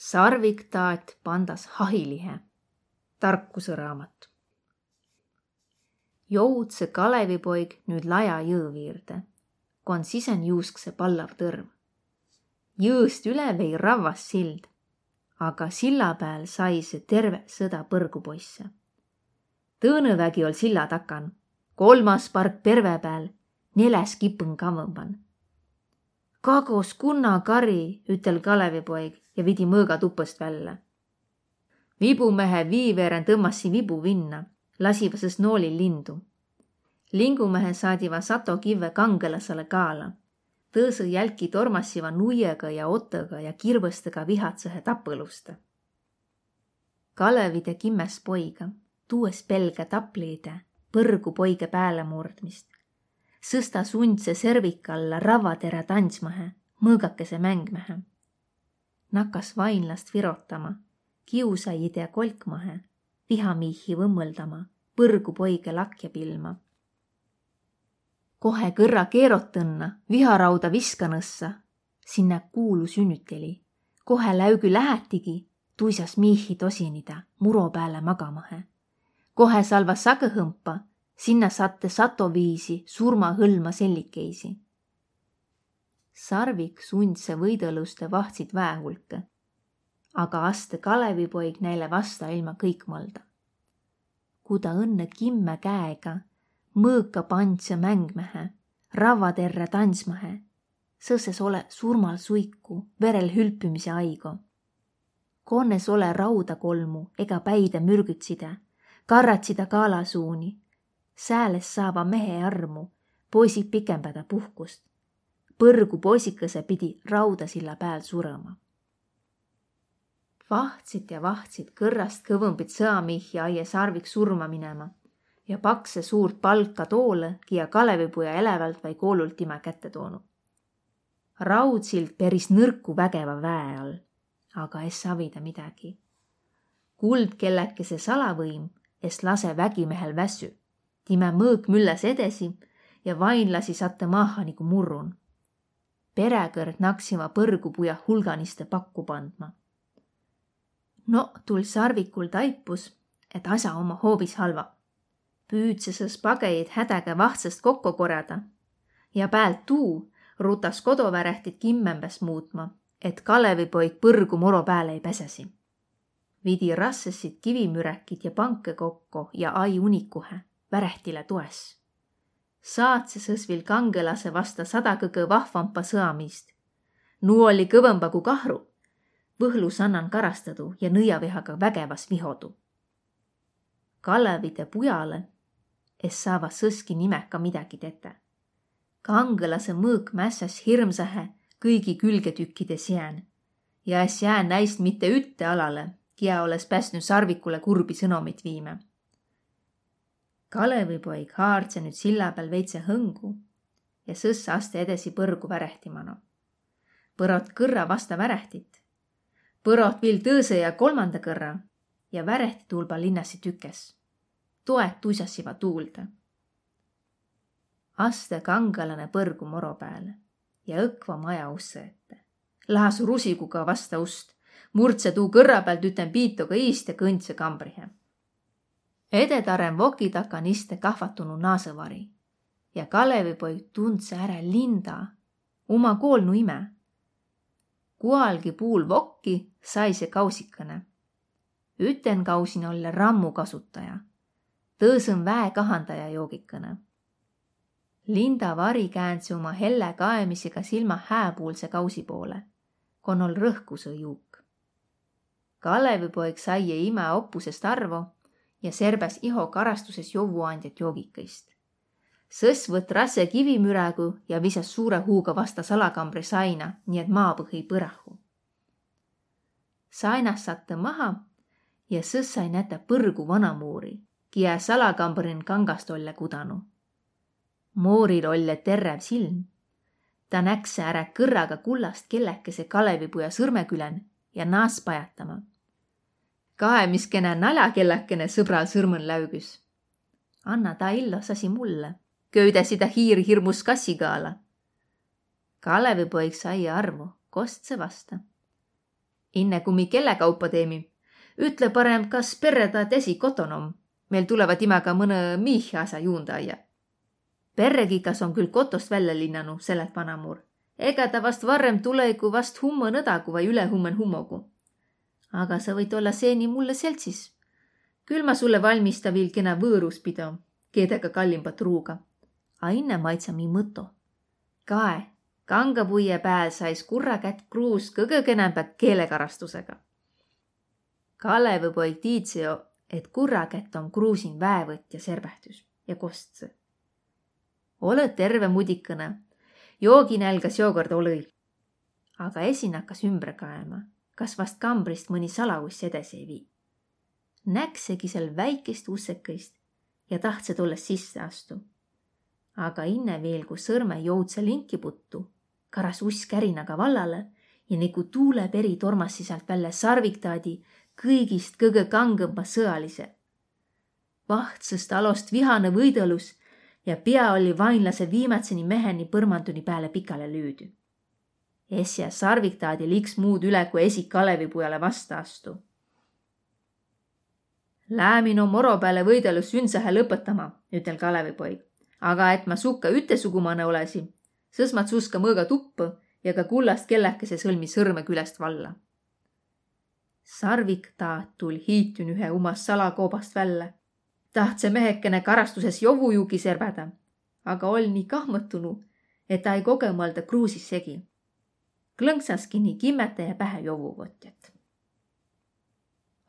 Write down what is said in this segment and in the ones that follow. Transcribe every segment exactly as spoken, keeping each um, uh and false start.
Sarvik taat pandas hahilihe. Tarkusõ raamat. Joudsõ Kalevipoig nüüt laja jõõ viirde, kon sisen juusksõ pallav tõrv. Jõõst üle vei ravvas sild, aga silla pääl saisõ terve sõda põrgupoisse. Tõõnõ vägi oll' silla takan, kolmas park perve pääl, neläs kipõn kavvõmban. Kagos kunna kari, ütel' Kalevipoig ja vidi mõõga tupõst vällä. Vibumehe vii veeren tõmmassi vibu vinna, lasiva sõs noolil lindu. Lingumehe saadiva sato kivve kangõlasele kaala. Tõõsõ jälki tormassiva nuiega ja otõga ja kirvõstega vihatsõhe tapõluste. Kalevide kimmäs poiga, tuu es pelgä tapliide, põrgupoige päälemurdmist. Sõs ta sundsõ servikalla ravvaterä tandsmahe, mõõgakese mängmähe. Nakas vainlast virotama, kiusajide kolkmahe, vihamiihi võmmõldama, põrgupoige lakja pilma. Kohe kõrra keerotõnnõ, viharauda viskanõssa, sinnä kuulu sünnüteli. Kohe läügü lähätigi, tuisas miihi tosinida, muro pääle magamahe. Kohe salva sagõhõmpa, sinnä satte satoviisi surmahõlma sellikeisi. Sarvik sundsõ võidõluste vahtsit väe hulkõ, aga astõ Kalevipoig näile vasta ilma kõikmaldõ. Ku ta õnnõ kimmä käega, mõõka pandsõ mängmähe, ravvaterrä tandsmahe, sõs es ole surmal suiku, verel hülpümise aigo. Kon es ole rauda kolmu ega päide mürgütside, karratside kaalasuuni, sääl es saava mehe armu, poisid pikembädä puhkust. Põrgupoisikõse pidi raudasilla pääl surõma. Vahtsit ja vahtsit kõrrast kõvõmbit sõamiihi aie Sarvik surma minema ja paksõ suurt palka toolõ, kiä Kalevipuja elävält vai koolult timä kätte toonu. Raudsild peris nõrku vägeva väe all, aga es avida midägi. Kuldkelläkese salavõim es lase vägimehel väsü. Timä mõõk mülläs edesi ja vainlasi sattõ maaha nigu murrun. Peräkõrd naksiva põrgupuja hulganiste pakku pandma. No, tull' Sarvikul taipus, et as'a omma hoobis halva. Püüdsesõs pagejit hädäga vahtsõst kokko korjada. Ja päält tuu rutas kodovärähtit kimmämbäs muutma, et Kalevipoig põrgu moro pääle ei päsesi. Vidi rassessit kivimüräkit ja pankõ kokko ja ai unikuhe, värähtile toes. Saatsesõs viil kangõlasõ vasta sada kõgõ vahvampa sõamiist. Nuu olli kõvõmba ku kahru, Võhlu sannan karastadu ja nõiavihaga vägevas vihodu. Kalevide pujalõ es saava sõski nimäga midägi tetä. Kangõlasõ mõõk mässäs hirmsahe kõigi külgetükkide siän. Ja es jää näist mitte ütte alalõ, kiä oles päsnü Sarvikule kurbi sõnomit viimä. Kalevipoig haardse nüüt silla pääl veidse hõngu ja sõs aste edesi põrgu värehti mano. Põrot kõrra vasta värehtit. Põrot viil tõõsõ ja kolmanda kõrra ja värehti tuulba linnassi tükes. Toet tuisassiva tuulde. Aste kangõlanõ põrgu moro pääle ja õkva maja ussõ ette. Lahas rusiguga vasta ust, murdse tuu kõrra päält üten piitoga iist ja kõndsõ kambrihe. Ededarren voki takan iste kahvatunu naasõvari ja Kalevipoig tundsõ ärä Linda, uma koolnu imä. Kualgi puul vokki saise kausikõne. Üten kausin olle rammu kasutaja, tõõsõn väe kahandaja joogikõne. Linda vari käändse uma hellä kaemisega silma hääpuulse kausi poole, kon oll' rõhkusõ juuk. Kalevipoig saie imä oppusest arvo ja serbäs iho karastuses jovvuandjat joogikõist. Sõs võtt rasse kivimürägu ja visas suure huuga vasta salakambri saina, nii et maapõhi põrahu. Sainast sattõ maha ja sõs sai nätä põrgu vanamuuri, kiä salakambrin kangast olle kudanu. Mooril olle terräv silm. Ta näksä ärä kõrraga kullast kelläkese Kalevipuja sõrmekülen ja naas pajatama. Kaemiskenä naljakellakene sõbral sõrmõn läügüs. Anna ta illos asi mulle. Köüdässi ta hiir hirmus kassigaala. Kalevipoig saie arvo, kostsõ vasta. Inne ku mi kelläkaupa teemi, ütle parem, kas perre ta desi koton om. Meil tuleva timaga mõnõ miihi as'a juundaja. Perregikas om küll kotost vällä linnanu, selet vanamur. Ega ta vast varrem tulei ku vast hummõ nõdagu vai ülehummen hummogu. Aga sa võit olla seeni mulle seltsis. Küll ma sulle valmista viil kena võõruspido, keedega kallimbat ruuga. A inne maidsa mi mõto. Kae, kangapuie pääl sais kurrakätt kruus kõgõ kenämbä keelekarastusega. Kalevipoig tiidse jo, et kurrakätt om kruusin väevõtja serbähtüs ja kostsõ: Olõ terve, mudikõnõ. Jooginälgä seokõrd olõ-i. Aga esi nakkas ümbre kaema, kas vast kambrist mõni salauss edes ei vii. Näksegi sel väikest ussekõist ja tahtsõ tollõ sisse astu. Aga inne viil, ku sõrme joudsõ linki puttu, karas uss kärinaga vallale ja nigu tuule peri tormassi säält vällä Sarviktaadi, kõigist kõgõ kangõmba sõalise. Vahtsõst alost vihanõ võidõlus ja pia olli vainlase viimätseni meheni põrmanduni pääle pikale lüüdü. Esjä Sarviktaadil iks muud üle, ku esi Kalevipujale vasta astu. Läämin om oro pääle võidõlus sündsahe lõpõtama, ütel Kalevipoig. Aga et ma sukka ütesugumanõ olesi, sõs ma tsuska mõõga tuppõ ja ka kullast kelläkese sõlmi sõrme külest valla. Sarviktaat tull hiitün ühe uma salakoobast vällä. Tahtsõ mehekene karastuses jovvujuugi serbädä, aga oll nii kahmõtunu, et ai kogõmalda kruusis segi. Klõnksaskin nii kimmäte ja pähe jovvuvotjat.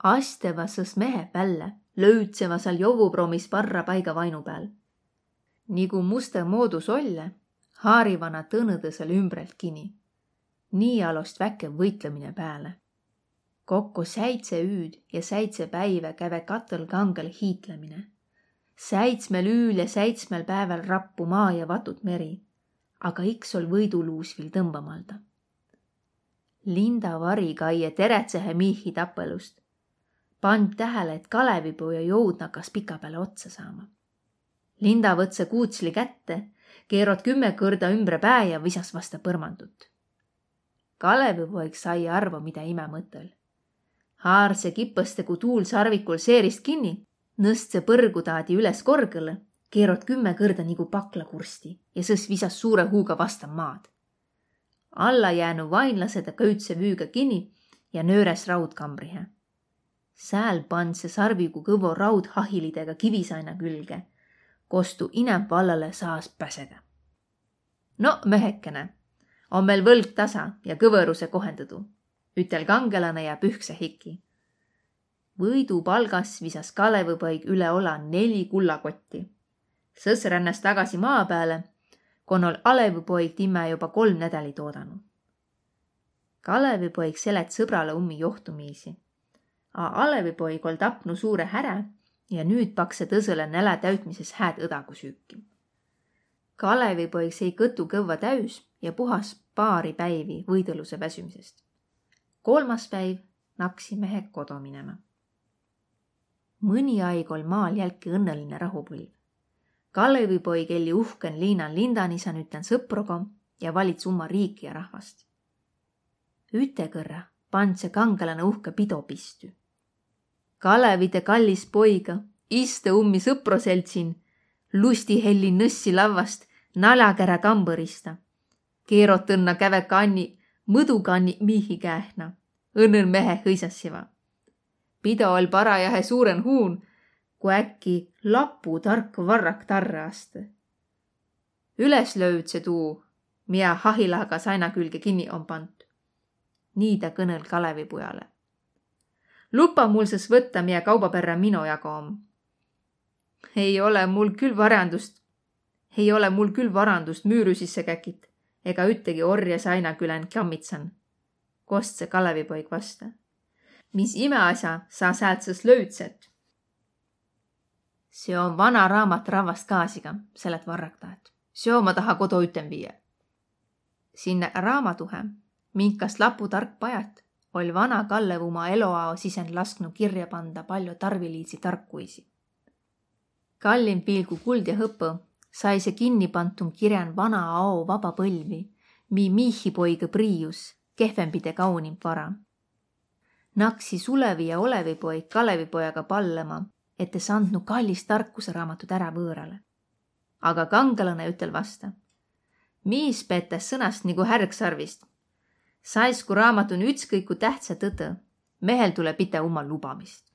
Asteva sõs mehe vällä, löüdseva sääl jovvupromis varra paiga vainu pääl. Nigu mustõ moodus olle, haarivana tõnõ tõsele ümbrelt kini. Nii alost väkev võitlõmine pääle. Kokko säidse üüd ja säidse päivä käve katõl kangel hiitlemine. Säidsmel üül ja säidsmel pääväl rappu maa ja vatut meri, aga iks oll võiduluus viil tõmbamalda. Linda vari kaie terätsehe miihi tapõlust. Pand tähele, et Kalevipoja joud nakas pika pääle otsa saama. Linda võtsõ kuutsli kätte, keerot kümme kõrda ümbre pää ja visas vasta põrmandut. Kalevipoig sai arvo, mida imä mõtõl. Haarse kipõste, ku tuul sarvikul seerist kinni, nõstse põrgutaadi üles korgõlõ, keerot kümme kõrda nigu paklakursti ja sõs visas suure huuga vasta maad. Alla jäänü vainlase ta köütse vüüga kini ja nööräs raudkambrihe. Sääl pandse sarvigu kõvvo raudhahilidega kivisaina külge, kos tu inämp vallale saas päsedä. No, mehekene, om meil võlg tasa ja kõvõruse kohendõdu, ütel kangelanõ ja pühkse hiki. Võidu palgas visas Kalevipoig üle ola neli kullakotti. Sõs rännas tagasi maa pääle, kon oll Alevipoig timmä joba kolm nädäli toodanu. Kalevipoig selet sõbrale ummi johtumiisi. A Alevipoig oll tapnu suure härä ja nüüt pakse tõsõle nälä täütmises hääd õdagu süüki. Kalevipoig sei kõtu kõvva täüs ja puhas paari päivi võidõluse väsümisest. Kolmas päiv naksi mehe kodo minema. Mõni aig oll maal jälki õnnõline rahupõlv. Kalevipoig elli uhken liinan Lindanisan ütlen sõprogo ja valits umma riiki ja rahvast. Ütekõrra pandse kangelanõ uhke pido pistü. Kalevide kallis poiga istõ ummi sõproseldsin, lustihelli nõssi lavvast naljakerä kambõrista. Keerotõnna käve kanni, mõdukanni miihi käehna. Õnnõ mehe hõisassiva. Pido oll parajahe suuren huun, ku äkki laputark varrak tarrõ astõ. Üles löüdse tuu, mia hahilaga saina külge kinni om pant. Nii ta kõnõl Kalevipujale. Lupa mul sõs võtta, mia kauba perrä mino jago om. Ei ole mul küll varandust, ei ole mul küll varandust müürü sisse käkit ega üttegi orje saina külän kammitsan, kostsõ Kalevipoig vasta. Mis imeasja sa säält sõs löüdset? Seo om vana raamat ravvast gaasiga, selet varraktaat. Seo ma taha kodo üten viiä. Sinnä raamatuhe, minkast laputark pajat, oll vana Kallev uma eloao sisen lasknu kirja panda paljo tarviliidsi tarkuisi. Kallimb viil ku kuld ja hõpõ, saise kinnipantun kirjän vana ao vaba põlvi, mii miihipoigõ priius, kehvembide kaunimb vara. Naksi Sulevi ja Olevi poig Kalevipojaga pallama, et es andnu kallist tarkusaraamatut ärä võõrale. Aga kangelane ütel vasta: Miis peetäs sõnast nigu härgsarvist. Saisku raamatun ütskõik ku tähtsä tõtõ, mehel tule pitä uma lubamist.